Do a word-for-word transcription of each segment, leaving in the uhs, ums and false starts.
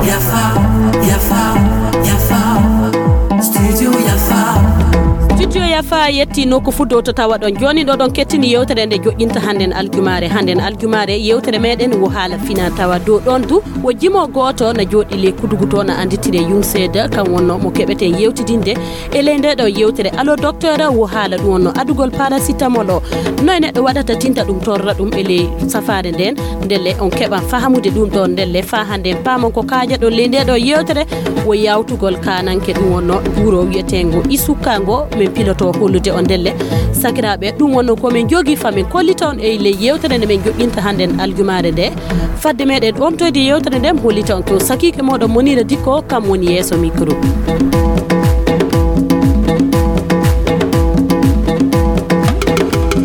Yafa, Yafa, Yafa, Studio Yafa. Studio Yafa yetti nokku fuu dow to tawa ɗon. Jooni ɗo ɗon kettini yewtere nde joƴƴinta hannden aljumaare. Hannden aljumaare yewtere meɗen wo haala fina tawa. Dow ɗon du wo jimo gooto na jooɗi ley kudugu to na annditire Yungseed, kan wonno mo keɓeten yewtidinde e ley nde ɗo yewtere. Allo docteur, wo haala ɗum wonno adugol paracetamol o. Noy neɗɗo waɗata tinta ɗum torra ɗum e ley safaare nden? Ndelle on keɓan fahamude ɗum ɗo ndelle faa hannden paamon ko kaajaɗon ley nde ɗo yewtere. Wo yawtugol kananke ɗum wonno buuro wiyeteengo Isuka ngo min piloto hollude on ndelle. Sakiraaɓe, ɗum wonno ko min jogi fa min kollita on e ley yewtere nde min joƴƴinta hannden aljumaare nde. Fadde meɗen omtoyde yewtere nden, mi hollita on ko sakiike moɗon Monira Dikko, kam woni yeeso micro.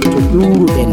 To ɗuuruɗen.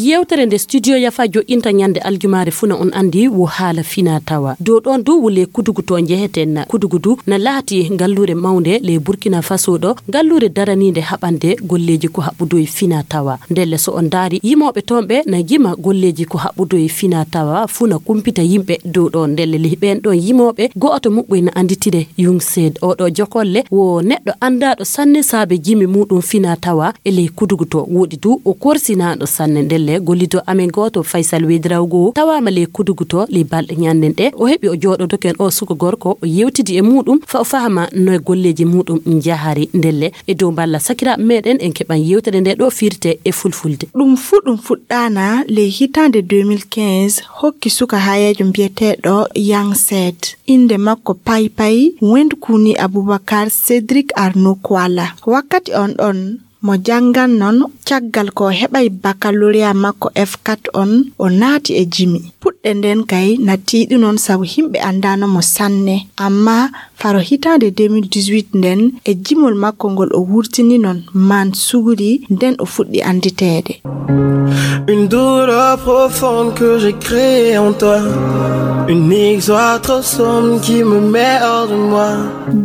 Yewtere nde Studio Yafa joƴƴinta ñande aljumaare fuu na on anndi wo haala fina tawa. Dow ɗon du wo ley kudugu to njeheten. Kudugu du na laati ngalluure mawnde ley Burkina Faso ɗo, ngalluure daraniinde haɓande golleeji ko haɓɓudu e fina tawa. Ndelle so on ndaari yimooɓe toon ɓe na jima golleeji ko haɓɓudu e fina tawa fuu na kumpita yimɓe dow ɗo. Ndelle ley ɓeen ɗoon yimooɓe go'oto muɓɓoy na annditire Yungseed. Oɗo jokolle wo neɗɗo anndaaɗo sanne saabe jimi muuɗum fina tawa e ley kudugu to. Woɗi du o korsinaaɗo sanne. Ndelle gollido amen gooto Faysal Wedrawgo tawaama ley kudugu to ley balɗe ñannden ɗe. O heɓi o jooɗodoken o suka gorko o yewtidi e muuɗum fa o fahama no e golleeji muuɗum njahari. Ndelle e dow mballa sakiraaɓe meɗen en keɓan yewtere nde ɗo firte e fulfulde. Ɗum fuu ɗum fuɗɗaana ley hitaande deux mille quinze, hokki suka hayeejo mbiyeteeɗo Yang Set. Innde makko paypay, Wendkuni Abubakar Cedric Arno Kuala. Wakkati on ɗon, mo janngan non caggal ko heɓay baccalauréat makko F quatre on, o naati e jimi. Puɗɗe nden kay na tiiɗi non sabu himɓe anndaano mo sanne, amma faro hitaande deux mille dix-huit nden, e jimol makko ngol o wurtini non Man Suguri, nden o fuɗɗi annditeede. Une douleur profonde que j'ai créée en toi. Une histoire trop sombre qui me met hors de moi.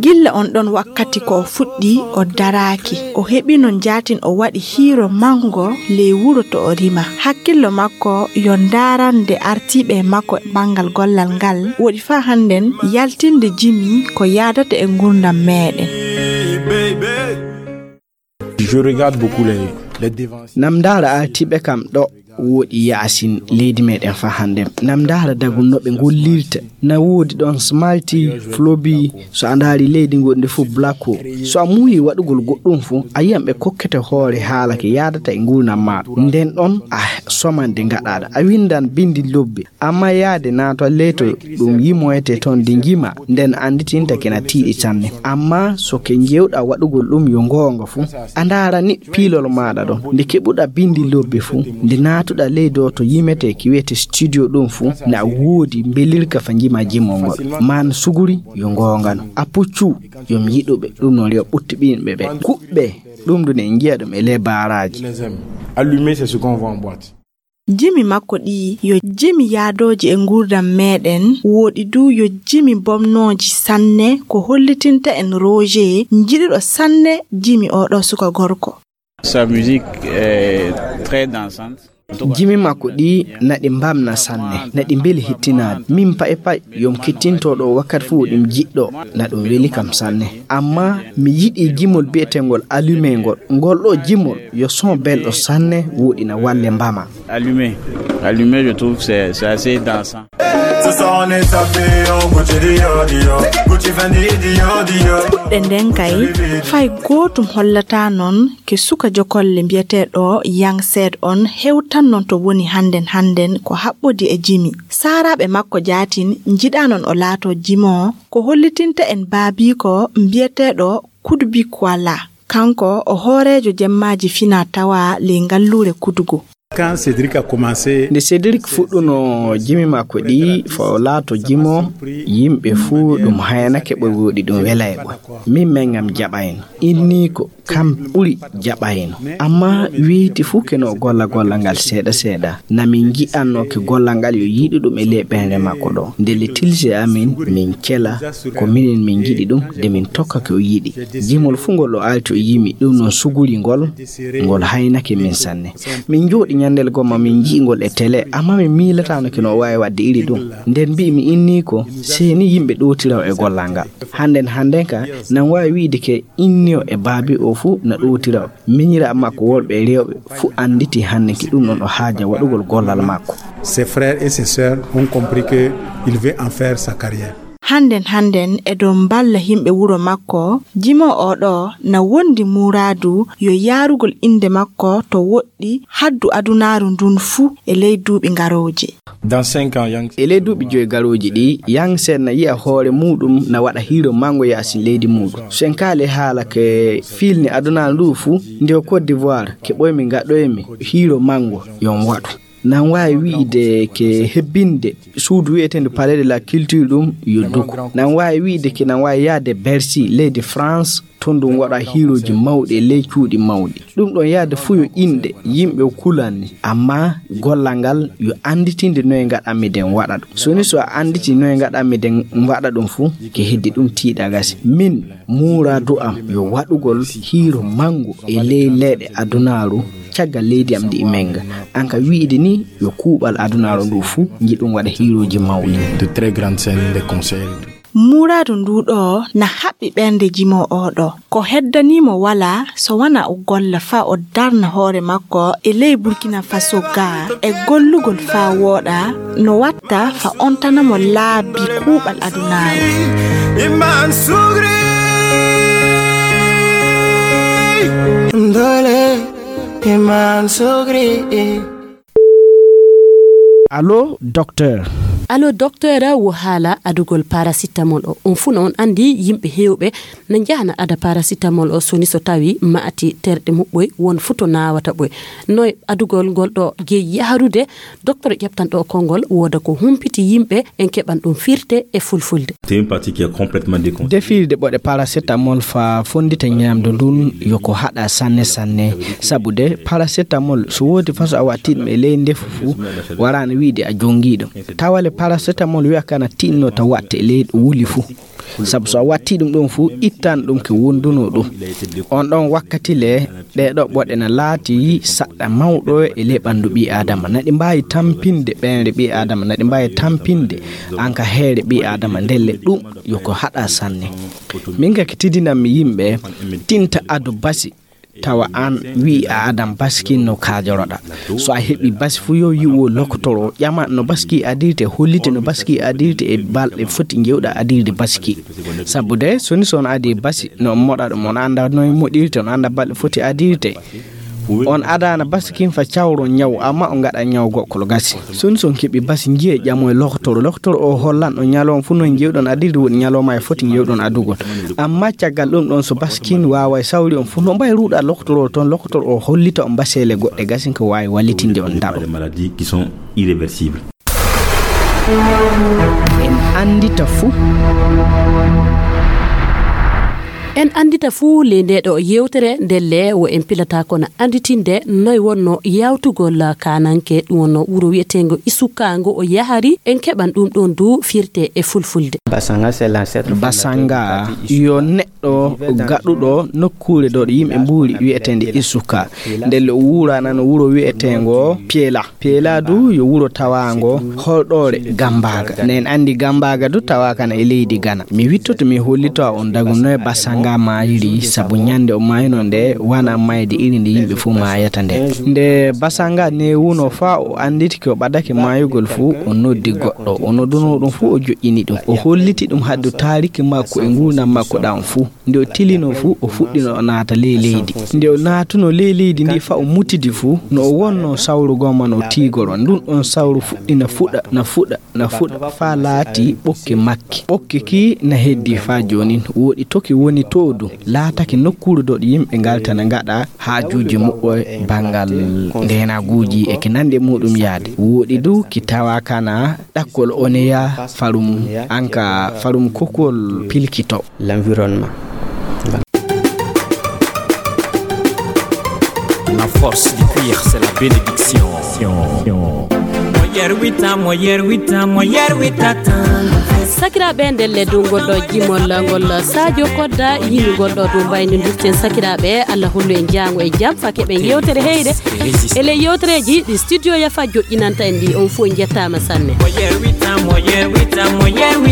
Gilla on ɗon wakkati ko o fuɗɗi, o daraaki. O heɓino njaatin, o waɗi hiiro manngo ley wuro to o rima. Hakkillo makko yo ndaarande artiiɓe makko e banngal gollal ngal, woɗi faa hannden yaltinde jimi ko yaadata e nguurndam meeɗen. Je regarde beaucoup les, les dévanciers. Nam ndaara artiiɓe kam ɗo woɗi yaasin leydi meɗen fa hannde. Nam ndaara dagol no ɓe gollirta. Na woodi ɗon Smarty, Flobi, so a ndaari leydi goɗndi fof Blacko. So a muuyi waɗugol goɗɗum fof, a yiyan ɓe kokkete hoore haala ke yaadata e nguurndam maaɗa. Nden ɗon a somande ngaɗaaɗo. A winndan binndi lobbi. Amma yaade naata leyto ɗum yimoyete toon de njima, nden annditinta kena tiiɗi sanne. Amma so ke njeewɗa waɗugol ɗum yo ngoonga fuu, a ndaara ni piilol maaɗa ɗon. Nde keɓuɗa binndi lobbi fuu, nde naatuɗa ley dow to yimete ki wiyete studio ɗum fuu, na woodi mbelirka fa njima jimol ngol. Man Suguri yo ngoonga no. A puccu yo mi yiɗuɓe, ɗum noon yo ɓuttiɓinɓe ɓe. Kuɓɓe, ɗum ɗum en njiya ɗum e ley baaraaji. Allumé, c'est ce qu'on voit en boîte. Jimi makko ɗi yo jimi yaadooji e nguurndam meeɗen, woɗi du yo jimi bomnooji sanne, ko hollitinta en Roger, njiɗuɗo sanne jimi oɗo suka gorko. Sa musique est très dansante. Jimi makko ɗi naɗi mbamna sanne, naɗi mbeli hittinaade. Min pay pay, yo mi kettinto ɗo wakkati fof ɗum jiɗɗo, na ɗum weli kam sanne. Amma mi yiɗi jimol bi'etengol Allumé ngol. Ngol ɗo jimol yo son belɗo sanne, woɗi na walle mbama. Allumé. Allumé, je trouve c'est, c'est assez dansant. Ce soir on est tapé, on Gucci Dior Dior, Gucci Fendi Dior Dior. Puɗɗe nden kay, fay gootum hollata non ke suka jokolle mbiyeteeɗo Yang Seed on hewtan non to woni hannden hannden ko haɓɓodi e jimi. Saaraaɓe makko jaatin njiɗaa non o laato jimo, ko hollitinta en baabiiko mbiyeteeɗo Kudubi Kuala. Kanko o hooreejo jemmaaji fina tawa ley ngalluure Kudugu. Quand Cédric a commencé, nde Cédric fuɗɗuno jimi makko ɗi, fo laato jimo, yimɓe fuu ɗum hayanake ɓe, woɗi ɗum welay ɓe. Min men ngam jaɓayno. Inniiko kam ɓuri jaɓayno. Amma weyti fuu ke no o golla golla ngal seeɗa seeɗa. Na min ngi'anno ke golla ngal yo yiɗi ɗum e ley ɓernde makko ɗo. Nde le tilse amin, min kela ko minen min ngiɗi ɗum, de min tokka ko o yiɗi. Jimol fuu ngol o alti o yimi ɗum non suguri ngol, ngol haynake min sanne. Min njooɗi nyandel gomma min nji'i ngol e tele, amma min miilataano ke no o waawi waɗde iri ɗum. Nden mbi'i mi inniiko, sey ni yimɓe ɗootiraw e gollal ngal. Hannden hannden ka, nan waawi wi'ide ke inniyo e baabi o fuu na ɗootiraw. Minyiraaɓe makko worɓe e rewɓe fuu annditi hannde ki ɗum ɗon o haaja waɗugol gollal makko. Ses frères et ses sœurs ont compris que il veut en faire sa carrière. Hannden hannden e dow mballa yimɓe wuro makko, jimo o ɗo na wondi muraadu yo yaarugol innde makko to woɗɗi haddu adunaaru ndun fuu e ley duuɓi ngarooji. Dans cinq ans, Yang e ley duuɓi joy garooji ɗi, Yang Sen na yi'a hoore muuɗum na waɗa hiiro mango yaasin leydi muuɗum. So en kaali haala ke fiilni adunaaru ndu fuu, nde o Côte d'Ivoire, ke ɓoymi ngaɗoymi hiiro mango yon waɗu. Nan waawi wi'ide ke hebbinde suudu wi'eteendu Palais de la Culture ɗum yo duku. Nan waawi wi'ide ke nan waawi yahde Bercy, leydi France, ton ɗum waɗa hiirooji mawɗi e ley cuuɗi mawɗi. Ɗum ɗon yahde fuu yo inɗe yimɓe o kulanni. Amma gollal ngal yo annditinde noye ngaɗanmi den waɗa ɗum. So ni so a annditi noye ngaɗanmi den waɗa ɗum fuu, ke heddi ɗum tiiɗa gasi. Min, muuraadu am yo waɗugol hiiro mango e ley leeɗe adunaaru caggal leydi am ndi e menga. An ka wi'ide ni yo kuuɓal adunaaru ndu fuu njiɗum waɗa hiirooji mawɗi. De très grandes scènes de concert. Muuraadu ndu ɗo na haɓɓi ɓernde jimo o ɗo. Ko heddanii mo walaa so wona o golla faa o darna hoore makko e ley Burkina Faso ga e gollugol faa wooɗa no watta fa ontana mo laabi kuuɓal adunaaru. Iman sugri, dole, iman sugri. Allo, docteur. Allo, docteur, wo haala adugol paracetamol o. On fuu no on anndi yimɓe heewɓe na njahana ada paracetamol o soni so tawi maati terɗe muɓɓoy won fuu to naawata ɓoy. Noy adugol ngol ɗo jeyi yaharude, docteur ƴeftanɗo konngol wooda ko humpiti yimɓe en keɓan ɗum firte e fulfulde. C'est une partie qui est complètement déconnectée. Defirde ɓoɗe paracetamol fa fonndita ñaamdu ndun yo ko haɗa sanne sanne. Sabu de paracetamol so woodi faso a watti ɗum e ley ndefu fuu, waraano wiide a jonngi ɗum. Tawale paracetamol wi'a kana tinno ta watte e ley wuli fuu. Sabu so a watti ɗum ɗon fuu, ittan ɗum ke wondunoo ɗum. On ɗon wakkati le, ɗee ɗoo ɓoɗe na laati saɗɗa mawɗo e ley ɓanndu ɓii Aadama. Na ɗi mbaawi tampinde ɓernde ɓii Aadama, na ɗi mbaawi tampinde an ka heere ɓii Aadama. Ndelle ɗum yo ko haɗa sanne. Min ka ki tidinanmi yimɓe, tinta adu basi, tawa an wi'i a adan basi kin no kaajoroɗa. So a heɓi basi fuu yo yi'u lokotoro, ƴama no basi ki adirte, hollite no basi ki adirte e balɗe foti njeewɗa adirde basi ki. Sabu de, so ni so on adi basi, no on moɗa ɗum, on annda noye moɗirte, on annda balɗe foti adirte. On adaana basi kin fa cawron ñaw, amma on ngaɗa ñaw goɗkol gasi. So ni so on keɓi basi, njiyee ƴamoye lokotoro. Lokotoro o hollan on ñalawma fuu noye njeewɗon adirde, woodi ñalawma e foti njeewɗon adugol. Amma caggal ɗum ɗon so basi kin waaway sawri on fuu, no mbay ruuɗa lokotoro ton, lokotoro o hollita on baseele goɗɗe gasi ko waawi wallitinde on ndaɗo. Des maladies qui sont irréversibles. En anndita fuu. En anndita fuu ley ndee ɗoo yewtere, ndelle wo en pilata kono annditinde noy wonno yawtugol kaananke, ɗum wonno wuro wi'eteengo Isuka ngo o yahari, en keɓan ɗum ɗon du firte e fulfulde. Basanga, c'est l'ancêtre fondateur du Basanga parti Isuka. Yo neɗɗo gaɗuɗo nokkuure ɗo ɗo yimɓe mbuuri wi'eteende Isuka. Ndelle o wuuranano wuro wi'eteengo Piela. Piela du yo wuro tawaango holɗoore Gambaaga. Nde en anndi Gambaaga du tawaaka na e leydi Gana. Mi wittoto mi hollito on dagu noye Basanga maayiri, sabu ñande o maayino nde wana mayde iri nde yimɓe fuu maayata nde. Nde Basanga newuno faa o annditi ko ɓadake maayugol fuu, o noddi goɗɗo. O nodduno ɗum fuu o joƴƴini ɗum. O holliti ɗum haddu taariki makko e nguurndam makko ɗam fuu. Nde o tilino fuu, o fuɗɗino o naata ley leydi. Nde o naatuno ley leydi ndi faa o mutidi fuu, no o wonno sawru gomma no tiigoro. Ndun on sawru fuɗɗina fuɗa, na fuɗa, na fuɗa, faa laati ɓokke makki. Ɓokke ki na heddi faa joonin. Wooɗi to ki woni to du, laatake nokkuure ɗo yimɓe ngalta na ngaɗa haajuuji muɓɓe banngal ndeenaguuji e ki nandi e muɗum yaade. Wooɗi du ki tawa kana ɗakkol oneya farum, anka farum kokol pilkito. L'environnement. La force du cuir, c'est la bénédiction. Mo yerwita, mo yerwita, mo yerwita tan. Sakiraaɓe, ndelle dow ngol ɗo jimol ngol Sadio Kodda yimi ngol ɗo dow mbaynodirten. Sakiraaɓe, Allah hollu en jaango e jam, faa keɓen yewtere heyre. E ley yewtereeji ɗi studio Yafa joƴƴinanta en ɗi, on fof njettaama sanne. Mo yerwita, mo yerwita, mo yerwita.